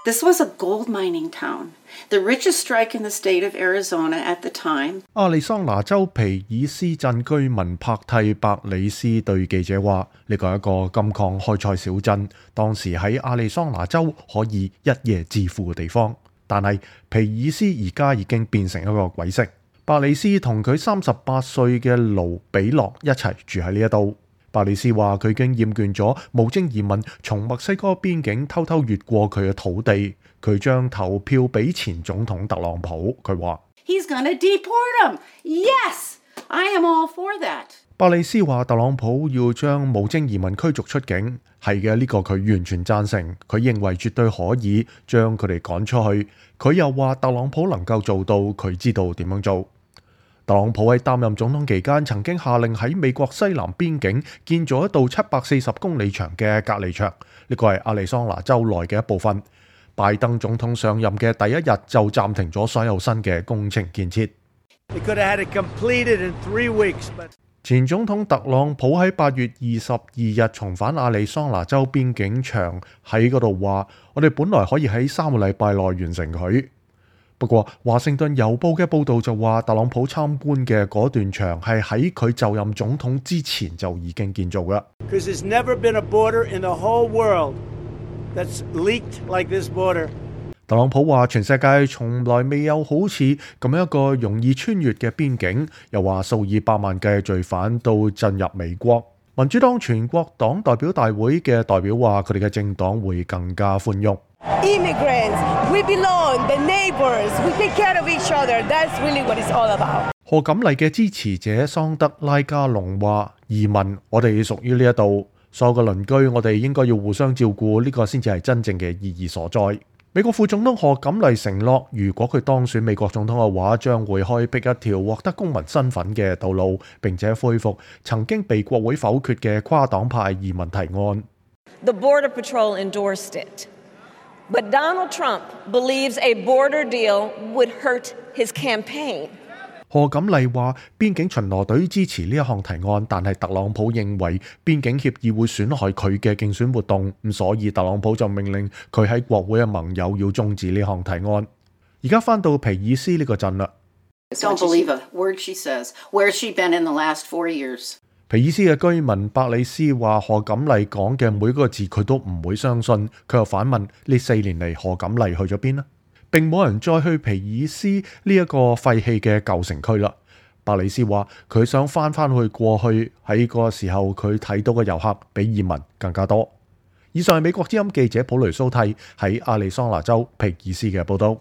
This was a gold mining town, the richest strike in the state of Arizona at the time. 亞利桑那州皮爾斯鎮居民帕蒂伯里斯對記者話：呢個係一個金礦開採小鎮，當時喺亞利桑那州可以一夜致富嘅地方。但係皮爾斯而家已經變成一個鬼城。伯里斯同佢38歲嘅盧比洛一齊住喺呢一度。伯里斯話：佢已經厭倦咗無證移民從墨西哥邊境偷偷越過佢嘅土地。佢將投票俾前總統特朗普。佢話：He's gonna deport him. Yes, I am all for that. 伯里斯話：特朗普要將無證移民驅逐出境，係嘅，呢個佢完全贊成。佢認為絕對可以將佢哋趕出去。佢又話特朗普能夠做到，佢知道點樣做。特朗普喺擔任總統期間，曾經下令喺美國西南邊境建造一道740公里長嘅隔離牆，呢個係亞利桑那州內嘅一部分。拜登總統上任嘅第一日就暫停咗所有新嘅工程建設。前總統特朗普喺8月22日重返亞利桑那州邊境牆，喺嗰度話：我哋本來可以喺3個禮拜內完成佢。不過華盛頓郵報嘅報導就話，特朗普參觀嘅嗰段牆係喺佢就任總統之前就已經建造㗎。特朗普話：全世界從來未有好似咁樣一個容易穿越嘅邊境，又話數以百萬計罪犯都進入美國。民主黨全國黨代表大會嘅代表話：佢哋嘅政黨會更加寬容。Immigrants, we belong, the neighbors, we take care of each other. That's really what it's all about. 賀錦麗嘅支持者桑德拉加隆話：移民，我哋屬於呢一度，所有嘅鄰居，我哋應該要互相照顧，呢個先至係真正嘅意義所在。美國副總統賀錦麗承諾，如果佢當選美國總統嘅話，將會開闢一條獲得公民身份嘅道路，並且恢復曾經被國會否決嘅跨黨派移民提案。The Border Patrol endorsed it, but Donald Trump believes a border deal would hurt his campaign. 賀錦麗話：邊境巡邏隊支持呢一項提案，但係特朗普認為邊境協議會損害佢嘅競選活動，咁所以特朗普就命令佢喺國會嘅盟友要終止呢項提案。而家返到皮爾斯呢個鎮啦。Don't believe a word she says. Where's she been in the last 4 years? 皮爾斯嘅居民伯里斯話：賀錦麗講嘅每個字佢都唔會相信。佢又反問：呢4年嚟賀錦麗去咗邊呢？並冇人再去皮爾斯呢一個廢棄嘅舊城區啦。伯里斯話：佢想翻去過去，喺個時候佢睇到嘅遊客比移民更加多。以上係美國之音記者普雷蘇蒂喺亞利桑那州皮爾斯嘅報道。